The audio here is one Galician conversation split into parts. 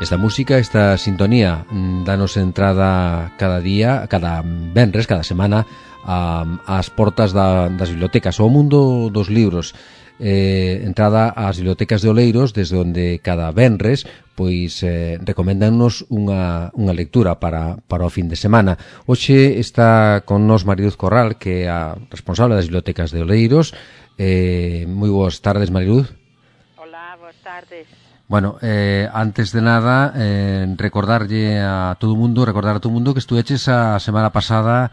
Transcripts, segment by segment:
Esta música, esta sintonía, danos entrada cada día, cada venres, cada semana, ás portas das bibliotecas, ao mundo dos libros. Entrada ás bibliotecas de Oleiros, desde onde cada venres pois recomendannos unha lectura para o fin de semana. Hoxe está con nos Mariluz Corral, que é a responsable das bibliotecas de Oleiros. Moi boas tardes, Mariluz. Hola, boas tardes. Bueno, antes de nada, recordar a todo o mundo que estuveches a semana pasada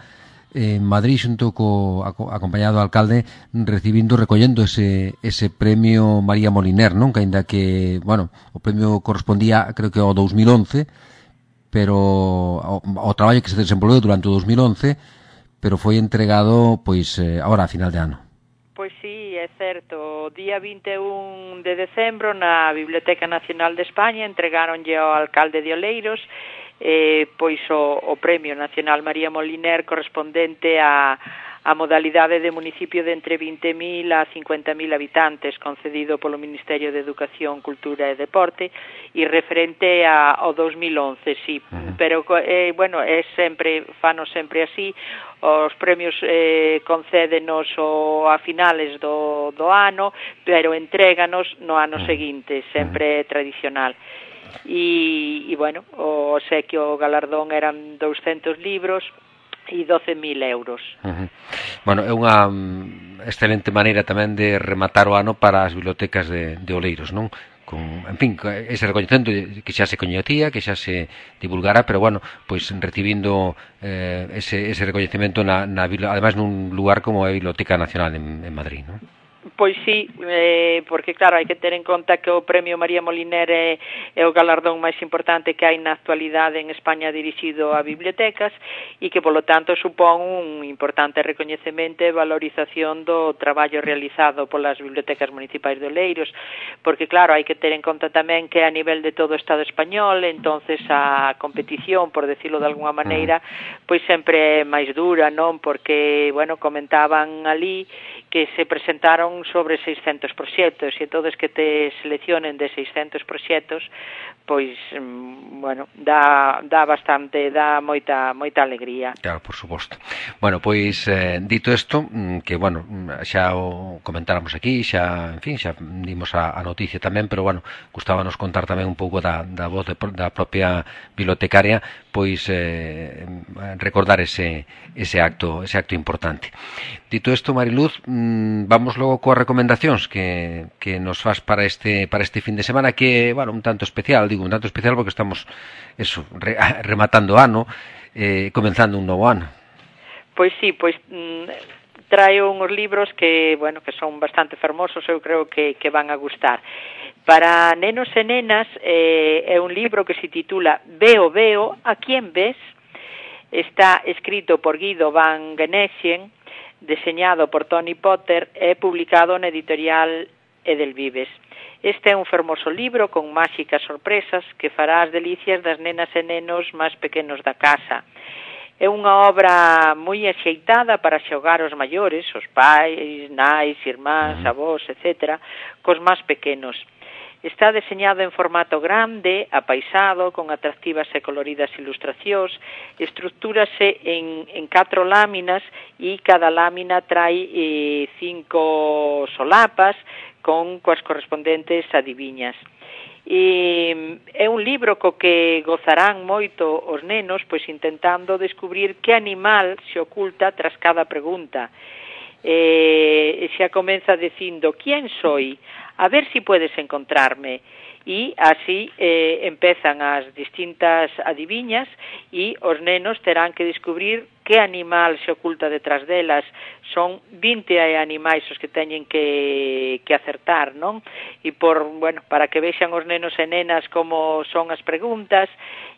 en Madrid xunto acompañado do alcalde recollendo ese premio María Moliner, non? Que aínda que, bueno, o premio correspondía creo que ao 2011, pero ao traballo que se desenvolveu durante o 2011, pero foi entregado pois agora a final de ano. Pois sí, é certo. O día 21 de decembro na Biblioteca Nacional de España entregáronlle ao alcalde de Oleiros pois o Premio Nacional María Moliner correspondente a modalidade de municipio de entre 20.000 a 50.000 habitantes concedido polo Ministerio de Educación, Cultura e Deporte e referente ao 2011, sí. Pero, bueno, fanos sempre así. Os premios concédenos a finales do ano, pero entréganos no ano seguinte, sempre tradicional. E bueno, o obsequio galardón eran 200 libros e 12.000 euros. Bueno, é unha excelente maneira tamén de rematar o ano para as bibliotecas de Oleiros, non? En fin, ese recoñecemento que xa se coñecía, que xa se divulgara, pero bueno, pois recibindo ese recoñecemento ademais nun lugar como a Biblioteca Nacional en Madrid, non? Pois sí, porque claro, hai que ter en conta que o Premio María Moliner é o galardón máis importante que hai na actualidade en España dirixido a bibliotecas e que, polo tanto, supón un importante recoñecemento e valorización do traballo realizado polas bibliotecas municipais de Oleiros, porque claro, hai que ter en conta tamén que a nivel de todo o Estado español, entonces a competición, por decirlo de alguna maneira, pois sempre é máis dura, non? Porque, bueno, comentaban ali que se presentaron sobre 600 proxectos e todos que te seleccionen de 600 proxectos, pois, bueno, dá moita alegría. Claro, por suposto. Bueno, pois, dito isto, que, bueno, xa o comentáramos aquí, xa, en fin, xa dimos a noticia tamén, pero, bueno, gustábanos contar tamén un pouco da voz da propia bibliotecaria, pois, recordar ese acto importante. Dito isto, Mariluz, vamos logo coas recomendacións que nos faz para este fin de semana, que, bueno, un tanto especial porque estamos rematando o ano, comenzando un novo ano. Pois sí, traio uns libros que, bueno, que son bastante fermosos, eu creo que van a gustar. Para nenos e nenas é un libro que se titula Veo, a quién ves? Está escrito por Guido van Genesian, deseñado por Tony Potter e publicado na editorial Edelvives. Este é un fermoso libro con máxicas sorpresas que fará as delicias das nenas e nenos máis pequenos da casa. É unha obra moi axeitada para xogar os maiores, os pais, nais, irmáns, avós, etc., cos máis pequenos. Está deseñado en formato grande, apaisado, con atractivas e coloridas ilustracións, estructúrase en 4 láminas e cada lámina trae 5 solapas coas correspondentes adiviñas. É un libro co que gozarán moito os nenos, pois intentando descubrir que animal se oculta tras cada pregunta. Xa comeza dicindo, ¿quién soy? A ver si puedes encontrarme. E así empezan as distintas adiviñas e os nenos terán que descubrir que animal se oculta detrás delas. Son 20 animais os que teñen que acertar, non? E para que vexan os nenos e nenas como son as preguntas,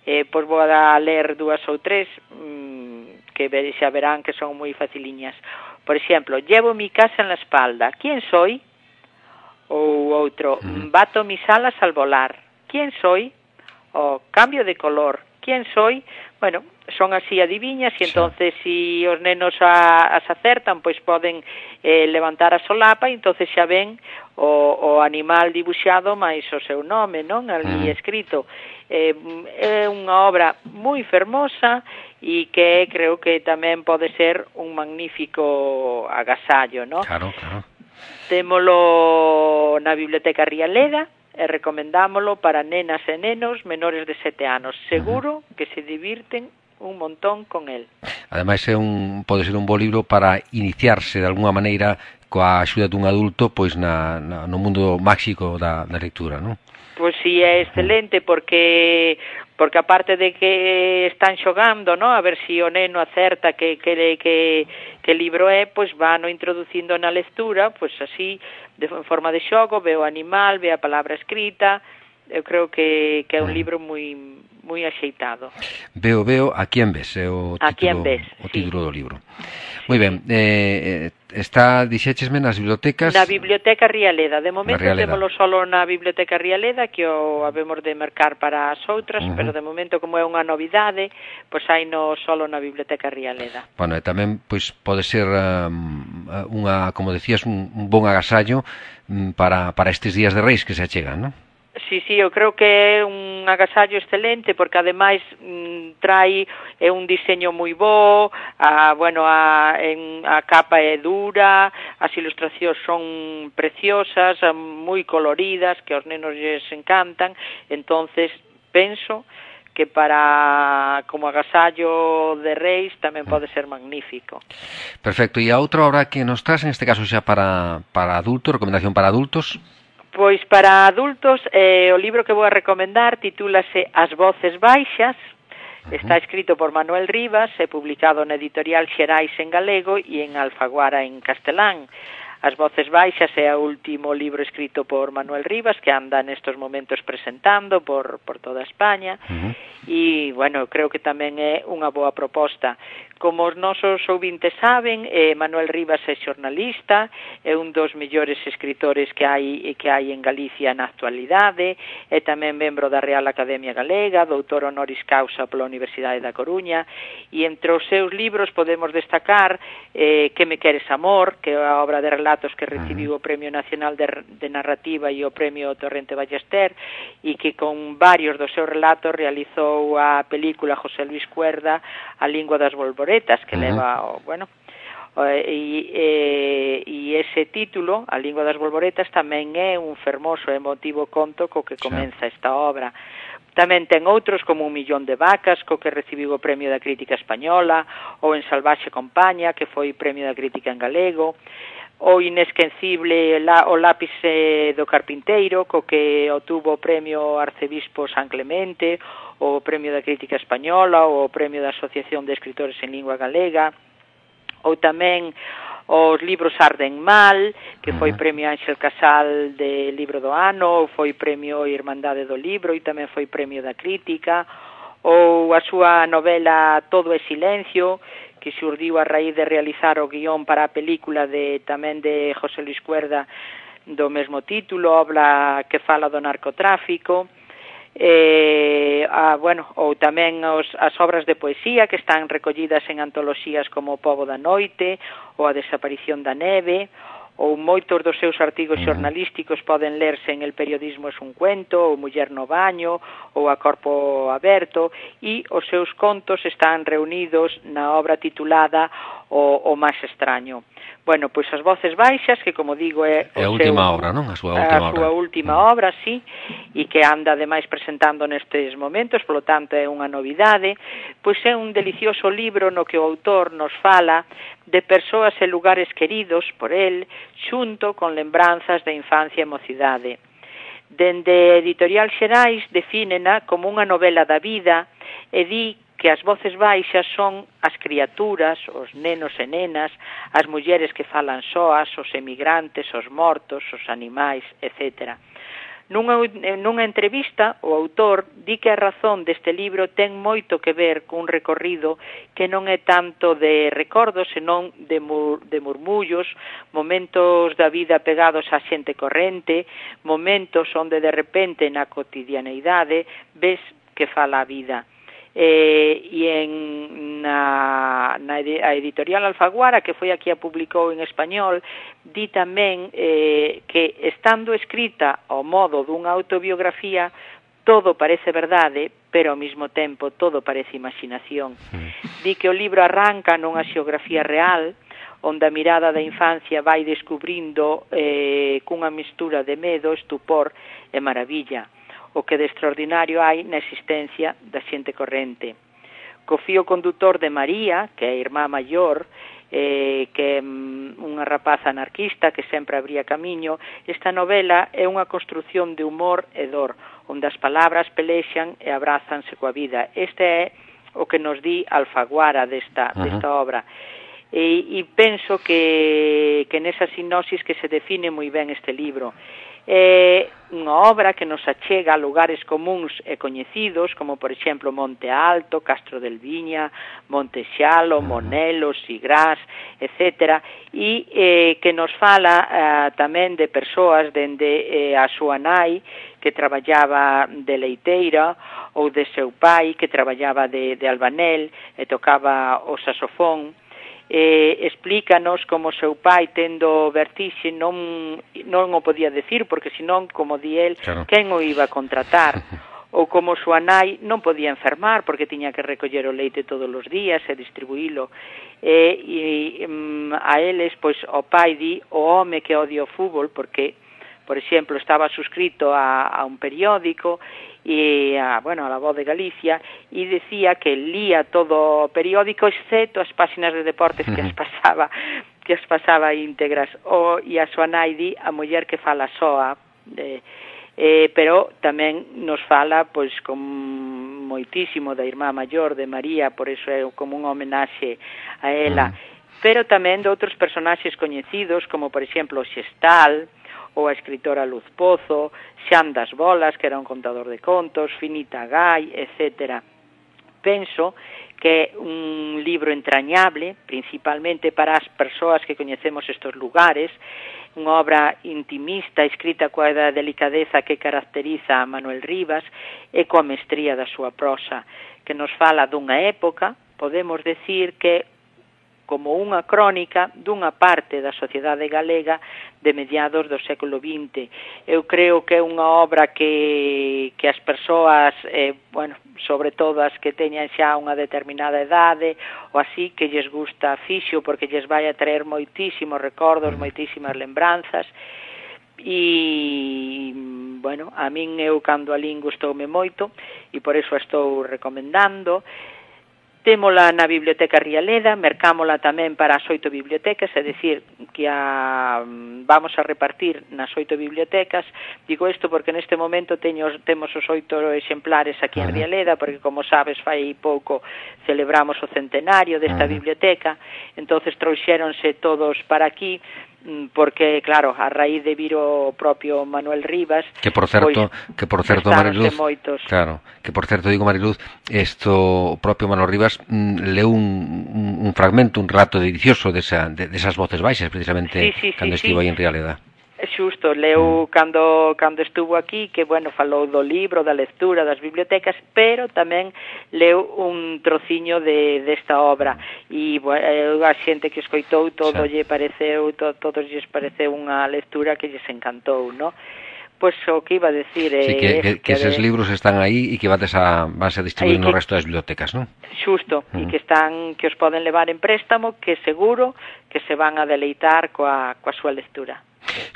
pois vou a ler 2 ou 3 que xa verán que son moi faciliñas. Por exemplo, llevo mi casa en la espalda. ¿Quién soy? Ou outro, bato mis alas al volar. ¿Quién soy? O cambio de color. ¿quién soy? Bueno, son así adiviñas e entonces si os nenos as acertan, pois poden levantar a solapa e entonces xa ven o animal dibuixado máis o seu nome, non? Ali escrito. É unha obra moi fermosa e que creo que tamén pode ser un magnífico agasallo, non? Claro, claro. Témolo na Biblioteca Rialeda e recomendámolo para nenas e nenos menores de 7 anos. Seguro que se divirten un montón con el. Ademais pode ser un bo libro para iniciarse de alguna maneira coa axuda dun adulto pois no mundo máxico da lectura, non? Pois si, é excelente porque aparte de que están xogando, no, a ver si o neno acerta que libro é, pois vano introducindo na lectura, pois así, en forma de xogo, ve o animal, ve a palabra escrita. Eu creo que é un libro moi axeitado. Veo, a quién ves, é o título do libro. Moi ben, está, dixéchesme, nas bibliotecas? Na Biblioteca Rialeda. De momento témolo solo na Biblioteca Rialeda, que o habemos de mercar para as outras, pero de momento, como é unha novidade, pois haino solo na Biblioteca Rialeda. Bueno, e tamén pois pode ser unha, como decías, un bon agasallo para estes días de Reis que se achegan, non? Sí, eu creo que é un agasallo excelente porque ademais trae un diseño moi bo, a capa é dura, as ilustracións son preciosas, moi coloridas, que aos nenos lles encantan, entonces penso que como agasallo de Reis tamén pode ser magnífico. Perfecto, e a outra obra que nos traz, en este caso xa para adultos, recomendación para adultos? Pois para adultos, o libro que vou a recomendar titúlase As voces baixas, está escrito por Manuel Rivas e publicado na editorial Xerais en galego e en Alfaguara en castelán. As voces baixas é o último libro escrito por Manuel Rivas, que anda nestos momentos presentando por toda España, e, bueno, creo que tamén é unha boa proposta. Como os nosos ouvintes saben, Manuel Rivas é xornalista, é un dos mellores escritores que hai en Galicia na actualidade, é tamén membro da Real Academia Galega, doutor honoris causa pola Universidade da Coruña, e entre os seus libros podemos destacar Que me queres amor, que é a obra de relatos que recibiu o Premio Nacional de Narrativa e o Premio Torrente Ballester, e que con varios dos seus relatos realizou a película José Luis Cuerda, A lingua das bolboretas, que leva, e ese título, A lingua das bolboretas, tamén é un fermoso e emotivo conto co que comeza esta obra. Tamén ten outros como Un millón de vacas, co que recibiu o Premio da Crítica Española, ou En salvaxe compaña, que foi Premio da Crítica en galego, o inesquecible O lápice do carpinteiro, co que obtuvo o Premio Arcebispo San Clemente, o Premio da Crítica Española, o Premio da Asociación de Escritores en Lingua Galega, ou tamén os libros Arden Mal, que foi Premio Ángel Casal de Libro do Ano, ou foi Premio Irmandade do Libro e tamén foi Premio da Crítica, ou a súa novela Todo é Silencio, que xurdiu a raíz de realizar o guión para a película tamén de José Luis Cuerda do mesmo título, obra que fala do narcotráfico, ou tamén as obras de poesía que están recollidas en antoloxías como O pobo da noite ou A desaparición da neve, ou moitos dos seus artigos xornalísticos poden lerse en El periodismo es un cuento, ou Muller no baño, ou A corpo aberto, e os seus contos están reunidos na obra titulada O máis extraño. Bueno, pois As voces baixas, que como digo é a última obra, non? A súa última obra, sí, e que anda ademais presentando nestes momentos, polo tanto é unha novidade, pois é un delicioso libro no que o autor nos fala de persoas e lugares queridos por el, xunto con lembranzas da infancia e mocidade. Dende Editorial Xerais defínena como unha novela da vida e di que as voces baixas son as criaturas, os nenos e nenas, as mulleres que falan soas, os emigrantes, os mortos, os animais, etc. Nunha entrevista, o autor di que a razón deste libro ten moito que ver cun recorrido que non é tanto de recordos, senón de murmullos, momentos da vida pegados á xente corrente, momentos onde de repente na cotidianeidade ves que fala a vida. e a editorial Alfaguara, que foi aquí a publicou en español, di tamén que estando escrita ao modo dunha autobiografía, todo parece verdade, pero ao mesmo tempo todo parece imaginación. Di que o libro arranca nunha xeografía real, onde a mirada da infancia vai descubrindo cunha mistura de medo, estupor e maravilla o que de extraordinario hai na existencia da xente corrente. Co fío condutor de María, que é a irmá maior, que é unha rapaza anarquista que sempre abría camiño, esta novela é unha construción de humor e dor, onde as palabras pelexan e abrázanse coa vida. Este é o que nos di Alfaguara desta obra. E penso que nesa sinopsis que se define moi ben este libro. É unha obra que nos achega a lugares comuns e coñecidos, como por exemplo Monte Alto, Castro del Viña, Monte Xalo, Monelo, Sigrás, etc. E que nos fala tamén de persoas dende a súa nai, que traballaba de leiteira, ou de seu pai, que traballaba de albanel e tocaba o saxofón. Explícanos como seu pai, tendo vertixe, non o podía decir, porque senón, como di el, claro, quen o iba a contratar? Ou como súa nai non podía enfermar, porque tiña que recoller o leite todos os días e distribuílo. A eles, pois, o pai di o home que odia o fútbol, porque, por exemplo, estaba suscrito a un periódico, e a La Voz de Galicia, e decía que lía todo o periódico excepto as páxinas de deportes que as pasaba íntegras. E a súa nai di a muller que fala soa, pero tamén nos fala pois con moitísimo da irmá maior de María, por eso é como un homenaxe a ela, pero tamén de outros personaxes coñecidos, como por exemplo o Xestal, ou a escritora Luz Pozo, Xan das Bolas, que era un contador de contos, Finita Gai, etc. Penso que é un libro entrañable, principalmente para as persoas que coñecemos estes lugares, unha obra intimista, escrita coa delicadeza que caracteriza a Manuel Rivas e coa mestría da súa prosa, que nos fala dunha época, podemos decir que como unha crónica dunha parte da sociedade galega de mediados do século XX. Eu creo que é unha obra que as persoas, sobre todo as que teñan xa unha determinada edade, ou así, que lles gusta fixo, porque lles vai a traer moitísimos recordos, moitísimas lembranzas, e, a min eu cando a lin gustoume moito, e por iso a estou recomendando. Témola na Biblioteca Rialeda, mercámola tamén para as 8 bibliotecas, é dicir, que vamos a repartir nas 8 bibliotecas. Digo isto porque neste momento temos os 8 exemplares aquí en Rialeda, porque, como sabes, fai pouco celebramos o centenario desta biblioteca, entonces trouxéronse todos para aquí, porque, claro, a raíz de vir o propio Manuel Rivas, que por certo Mariluz, claro, que por certo digo, Mariluz, o propio Manuel Rivas leu un fragmento, un relato delicioso desas voces baixas, precisamente, cando estivo aí en Rialeda. Xusto, leu cando estuvo aquí, que, falou do libro, da lectura, das bibliotecas, pero tamén leu un trociño desta obra, e a xente que escoitou todos lles pareceu unha lectura que lles encantou, non? Pois o que iba a decir que eses libros están aí e que vas a distribuir no resto das bibliotecas, non? Xusto, e que os poden levar en préstamo, que seguro que se van a deleitar coa súa lectura.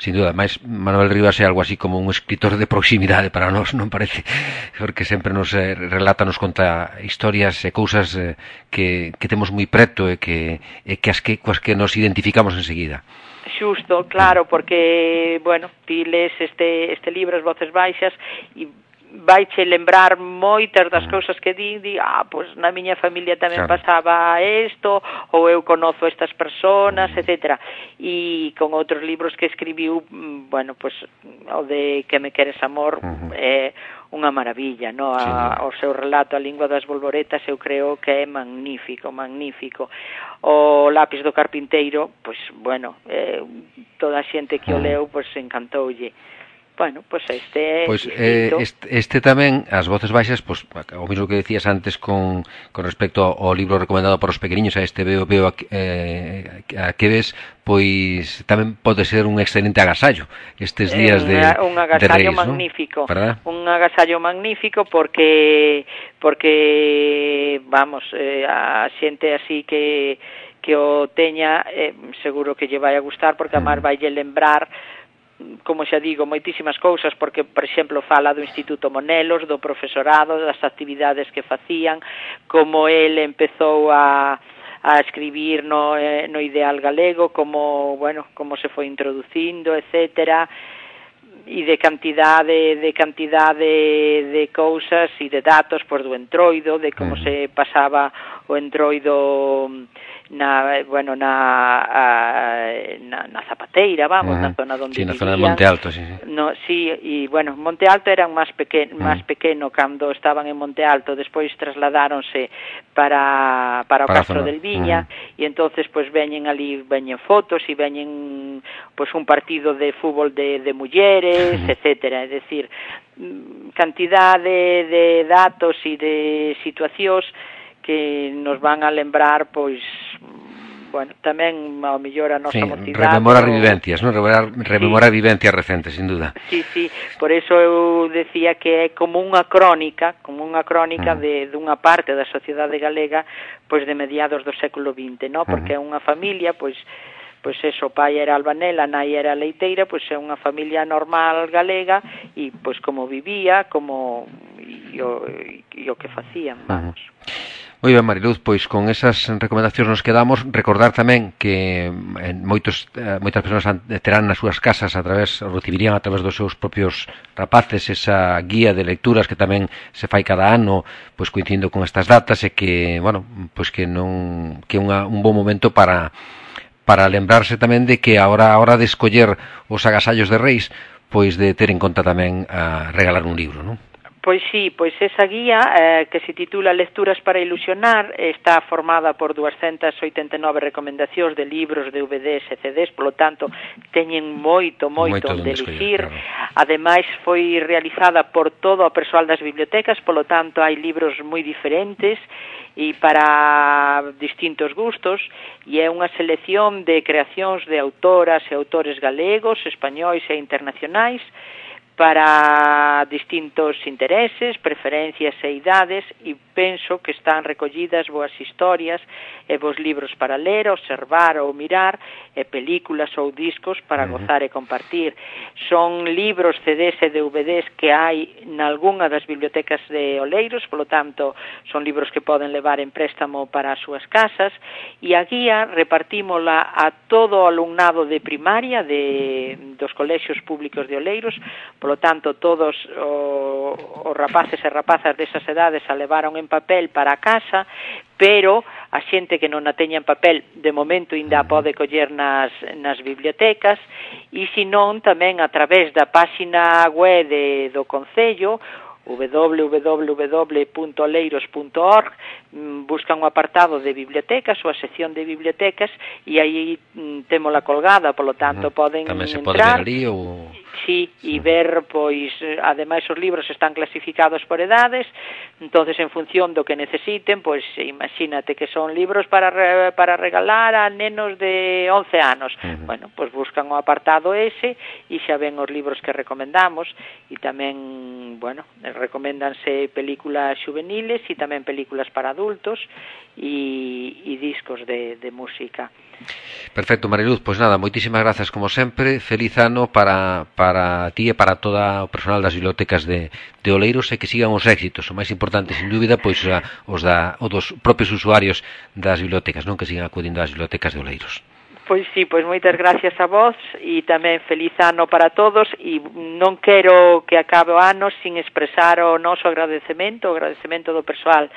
Sin duda, máis Manuel Rivas é algo así como un escritor de proximidade para nós, non parece? Porque sempre nos relata, nos conta historias e cousas que temos moi preto e coas que nos identificamos enseguida. Xusto, claro, porque, ti lees este libro, As Voces Baixas, e vaiche lembrar moitas das cousas que pois na miña familia tamén pasaba isto, ou eu conozo estas persoas, etc. E con outros libros que escribiu, pois o de Que me queres amor é unha maravilla, no? O seu relato A lingua das bolboretas eu creo que é magnífico. O Lápis do carpinteiro, pois, toda a xente que o leu, pois encantoulle. Bueno, pois este é este tamén, as voces baixas, pois, o mismo que decías antes con respecto ao libro recomendado para os pequeniños, a este veo a que ves, pois tamén pode ser un excelente agasallo estes días un agasallo Reis, magnífico, ¿no? un agasallo magnífico porque vamos, a xente así que o teña, seguro que lle vai a gustar, porque a máis vai lle lembrar, como xa digo, moitísimas cousas, porque, por exemplo, fala do Instituto Monelos, do profesorado, das actividades que facían, como ele empezou a escribir no ideal galego, como se foi introducindo, etcétera, e de cantidade de cousas e de datos, pois, do entroido, de como se pasaba o entroido na Zapateira, vamos, na zona onde vivían. Na zona de Monte Alto, sí. No, sí, e, Monte Alto eran máis pequeno cando estaban en Monte Alto, despois trasladáronse para o Castro del Viña, e entonces, pois, veñen fotos e veñen, pois, un partido de fútbol de mulleres, etcétera, é dicir, cantidade de datos e de situacións que nos van a lembrar, pois, tamén ao mellor a nosa mocidade. Rememorar vivencias, non? Rememorar vivencias recentes, sin duda. Sí, por eso eu decía que é como unha crónica dunha parte da sociedade galega, pois, de mediados do século XX, non? Porque é unha familia, pois eso, o pai era albanel, a nai era leiteira, pois é unha familia normal galega, e pois como vivía, como e o que facían, vamos. Moi ben, Mariluz, pois con esas recomendacións nos quedamos. Recordar tamén que moitas persoas terán nas súas casas recibirían a través dos seus propios rapaces esa guía de lecturas que tamén se fai cada ano, pois coincidindo con estas datas, e que, pois que é un bon momento para lembrarse tamén de que a hora de escoller os agasallos de Reis, pois de ter en conta tamén a regalar un libro, non? Pois sí, pois esa guía que se titula Lecturas para ilusionar está formada por 289 recomendacións de libros, DVDs e CDs, polo tanto teñen moito onde elixir. Claro. Ademais foi realizada por todo o persoal das bibliotecas, polo tanto hai libros moi diferentes e para distintos gustos, e é unha selección de creacións de autoras e autores galegos, españois e internacionais, para distintos intereses, preferencias e idades, e penso que están recollidas boas historias e bons libros para ler, observar ou mirar, e películas ou discos para gozar e compartir. Son libros, CDs e DVDs que hai nalgunha das bibliotecas de Oleiros, polo tanto, son libros que poden levar en préstamo para as súas casas, e a guía repartímola a todo o alumnado de primaria dos colexios públicos de Oleiros. Polo tanto, todos os rapaces e rapazas desas edades a levaron en papel para a casa, pero a xente que non a teña en papel, de momento ainda pode coller nas bibliotecas, e senón tamén a través da páxina web do Concello, www.oleiros.org, buscan o apartado de bibliotecas ou a sección de bibliotecas, e aí témola colgada, polo tanto poden tamén se entrar. Pode ver ali ou... Sí, e ver, pois, ademais os libros están clasificados por edades, entonces en función do que necesiten, pois imagínate que son libros para regalar a nenos de 11 anos. Bueno, pois buscan o apartado ese e xa ven os libros que recomendamos, e tamén, recoméndanse películas juveniles e tamén películas para adultos e discos de música. Perfecto, Mariluz, pois nada, moitísimas grazas como sempre, feliz ano para ti e para toda o personal das bibliotecas de Oleiros, e que sigan os éxitos, o máis importante, sin dúbida, pois os dos propios usuarios das bibliotecas, non, que sigan acudindo ás bibliotecas de Oleiros. Pois sí, pois moitas gracias a vos, e tamén feliz ano para todos, e non quero que acabe o ano sin expresar o noso agradecemento do persoal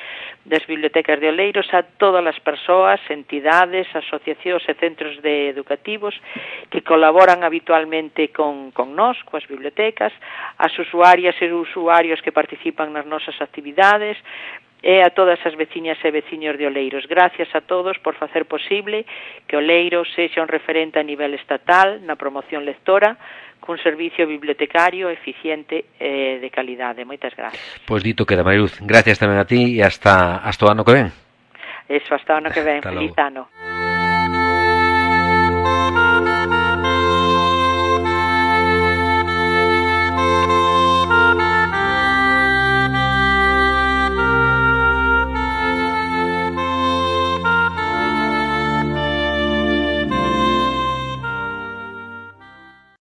das bibliotecas de Oleiros a todas as persoas, entidades, asociacións e centros educativos que colaboran habitualmente con nós, coas bibliotecas, as usuarias e usuarios que participan nas nosas actividades, e a todas as veciñas e veciños de Oleiros. Gracias a todos por facer posible que Oleiros sexa un referente a nivel estatal na promoción lectora, cun servicio bibliotecario eficiente de calidade. Moitas gracias. Pois dito queda, Mariluz. Gracias tamén a ti e hasta o ano que ven. Eso, hasta o ano que ven. Feliz ano.